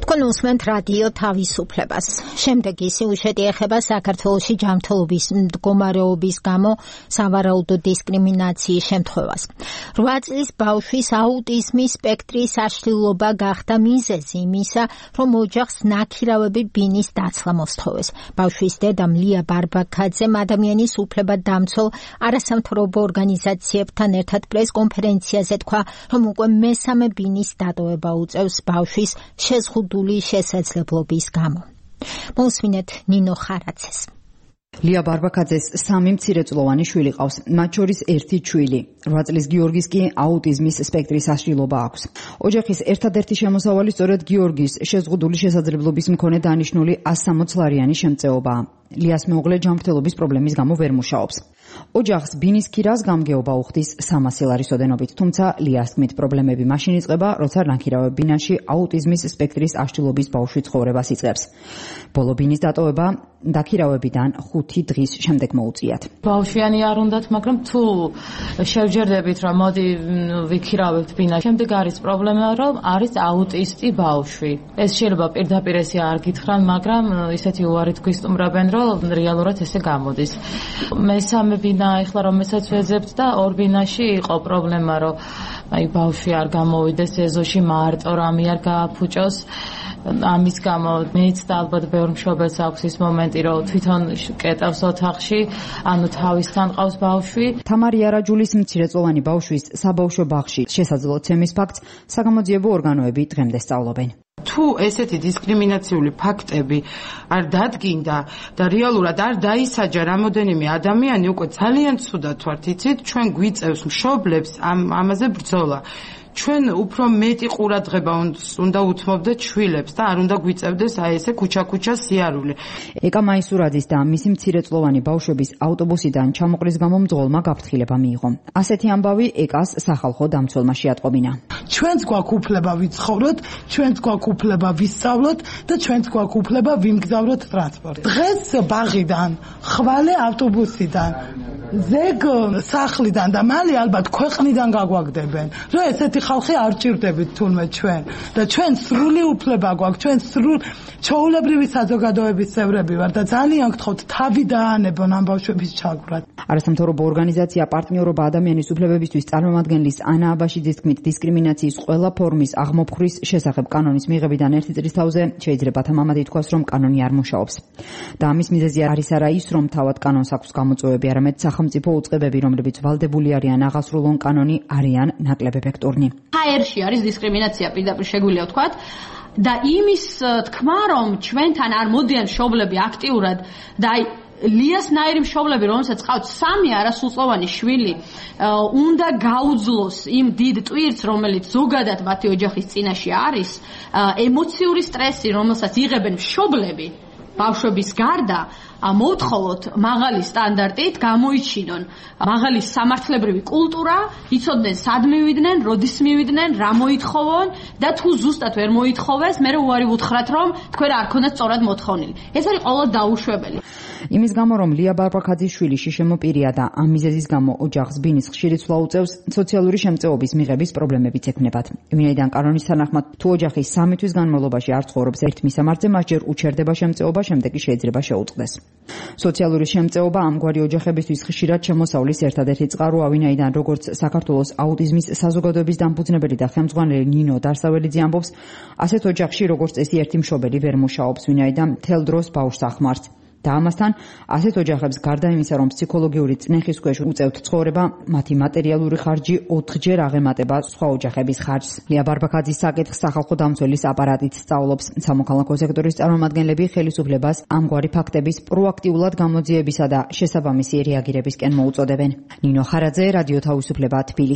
თქვენ უსმენთ რადიო თავისუფლებას. შემდეგი სიუჟეტი ეხება საქართველოში ჯანმრთელობის მდგომარეობის გამო სავარაუდო დისკრიმინაციის შემთხვევას. 8 წლის ბავშვის აუტიზმის სპექტრის აშლილობა გახდა მიზეზი იმისა, რომ ოჯახს ნაქირავები ბინის დაცლა მოსთხოვეს. ბავშვის დედამ ლია ბარბაქაძემ ადამიანის უფლებადამცველ არასამთავრობო ორგანიზაციებთან ერთად პრესკონფერენციაზე თქვა, რომ უკვე მესამე ბინის დატოვება უწევს ბავშვის შეზღუდული შესაძლებლობის გამო. მოსვინეთ ნინო ხარაძეს. ლია ბარბაქაძეს 3 მცირეწლოვანი შვილი ყავს, მათ შორის 1 ჩვილი. 8 წლის გიორგის კი აუტიზმის სპექტრის აშლილობა აქვს. ოჯახის ერთადერთი შემოსავალი სწორედ გიორგის შეზღუდული შესაძლებლობის მქონე დანიშნული 160 ლარიანი შემწეობაა. ლიას მეუღლე ჯანმრთელობის პრობლემის გამო ვერ მუშაობს. ოჯახს ბინის ქირას გამგეობა უხდის 300 ლარის ოდენობით, თუმცა ლიას თქმით პრობლემები მაშინ იწყება, როცა ნაქირავებ ბინაში აუტიზმის სპექტრის აშლილობის ბავშვი ცხოვრებას იწყებს. ბოლო ბინის დატოვება დაქირავებიდან 5 დღის შემდეგ მოუწიათ. ბავშვიანი არ უნდათ, მაგრამ თუ შევჯერდებით, რომ მოდი ვიქირავებთ ბინაში, შემდეგ არის პრობლემა, რომ არის აუტისტი ბავშვი. ეს შეიძლება პირდაპირ ესე არ გითხრან, მაგრამ ისეთი უარით გვისტუმრებენ, რომ რეალურად ესე გამოდის. მესამე ბინა ეხლა რომელსაც ვეძებთ და ორ ბინაში იყო პრობლემა, რომ ბავშვი არ გამოვიდეს ეზოში, მარტო რამე არ გააფუჭოს. ამის გამო მეც და ალბათ ბევრ მშობელს აქვს ის მომენტი, რომ თვითონ კეტავს ოთახში, ანუ თავისთან ყავს ბავშვი. თამარი არაჯულის მცირეწლოვანი ბავშვის საბავშვო ბაღში შესაძლებლოცემის ფაქტს საგამოძიებო ორგანოები დღემდე სწავლობენ. თუ ესეთი დისკრიმინაციული ფაქტები არ დადგინდა და რეალურად არ დაისაჯა რამოდენიმე ადამიანი, უკვე ძალიან ცუდად ვართ, იცით, ჩვენ გვიწევს მშობლებს ამაზე ბრძოლა. ჩვენ უფრო მეტი ყურადღება უნდა უთმობდეთ შვილებს და არ უნდა გვიწევდეს აი ესე ქუჩა-ქუჩა სიარული. ეკა მაისურაძის და მისი მცირეწლოვანი ბავშვების ავტობუსიდან ჩამოყრის გამო მძღოლმა გაფრთხილება მიიღო. ასეთი ამბავი ეკას სახალხო დამცველმა შეატყობინა. ჩვენც გვაქვს უფლება ვიცხოვროთ, ჩვენც გვაქვს უფლება ვისწავლოთ და ჩვენც გვაქვს უფლება ვიმგზავროთ ტრანსპორტით. დღეს ბაღიდან, ხვალე ავტობუსიდან, ზეგ სახლიდან და მალე ალბათ ქვეყნიდან გაგვაგდებენ, რომ ესეთი ხალხი არ ჭირდებით თურმე ჩვენ და ჩვენ სრული უფლება გვაქვს, ჩვენ სრულ ჩვეულებრივი საზოგადოების წევრები ვართ და ძალიან გთხოვთ თავი დაანებონ ამ ბავშვების ჩაგვრად. არასამთავრობო ორგანიზაცია პარტნიორობა ადამიანის უფლებებისთვის წარმომადგენლის ანა აბაშიძის თქმით, დისკრიმინაციის ყველა ფორმის აღმოფხვრის შესახებ კანონის მიღებიდან 1 წლის თავზე შეიძლება თამამად ითქვას, რომ კანონი არ მუშაობს. და ამის მიზეზი არის არა ის, რომ თავად კანონს აქვს გამოწვევები, არამედ სახელმწიფო უწყებები, რომლებიც ვალდებული არიან აღასრულონ კანონი, არიან ნაკლებ ეფექტურნი. ჰაერში არის დისკრიმინაცია, პირდაპირ შეგვიძლია ვთქვათ. და იმის თქმა, რომ ჩვენთან არ მოდიან მშობლები აქტიურად და აი ლიას ნაირი მშობლები, რომელსაც ყავთ 3 არასრულწლოვანი შვილი, უნდა გაუძლოს იმ დიდ ტვირთს, რომელიც ზოგადად მათი ოჯახის წინაშე არის, ემოციური სტრესი, რომელსაც იღებენ მშობლები ბავშვების გარდა, მოვთხოვოთ მაღალი სტანდარტით გამოიჩინონ მაღალი სამართლებრივი კულტურა, იცოდნენ სად მივიდნენ, როდის მივიდნენ, რა მოითხოვონ და თუ ზუსტად ვერ მოითხოვეს, მე უარი ვუთხრათ, რომ თქვენ არ ქონდათ სწორად მოთხოვნილი. ეს არის ყოველ დაუშვებელი. იმის გამო, რომ ლია ბარბაქაძის შვილი შიშემო პირია და ამ მიზეზის გამო ოჯახს ბინის ხშირი ცვლა უწევს, სოციალური შემწეობის მიღების პრობლემებიც ექნებათ. ვინაიდან კანონის თანახმად, თუ ოჯახი 3 თვის განმავლობაში არ ცხოვრობს ერთ მისამართზე, მას ჯერ უჩერდება შემწეობა, შემდეგ კი შეიძლება შეუწყდეს. სოციალური შემწეობა ამგვარი ოჯახებისთვის ხშირად შემოსავლის ერთადერთი წყაროა, ვინაიდან როგორც საქართველოს აუტიზმის საზოგადოების დამფუძნებელი და ხელმძღვანელი ნინო დარსაველიძე ამბობს, ასეთ ოჯახში როგორც წესი ერთი მშობელი ვერ მუშაობს, ვინაიდან მთელ დროს ბავშვს ახმარს. და ამასთან ასეთ ოჯახებს გარდა იმისა, რომ ფსიქოლოგიური წნეხის ქვეშ უწევთ ცხოვრება, მათი მატერიალური ხარჯი 4-ჯერ აღემატება სხვა ოჯახების ხარჯს. ლია ბარბაქაძის საკითხს სახალხო დამცველის აპარატით სწავლობს. სამოქალაქო სექტორის წარმომადგენლები ხელისუფლებას ამგვარი ფაქტების პროაქტიულად გამოძიებისა და შესაბამისი რეაგირებისკენ მოუწოდებენ. ნინო ხარაძე, რადიო თავისუფლება, თბილისი.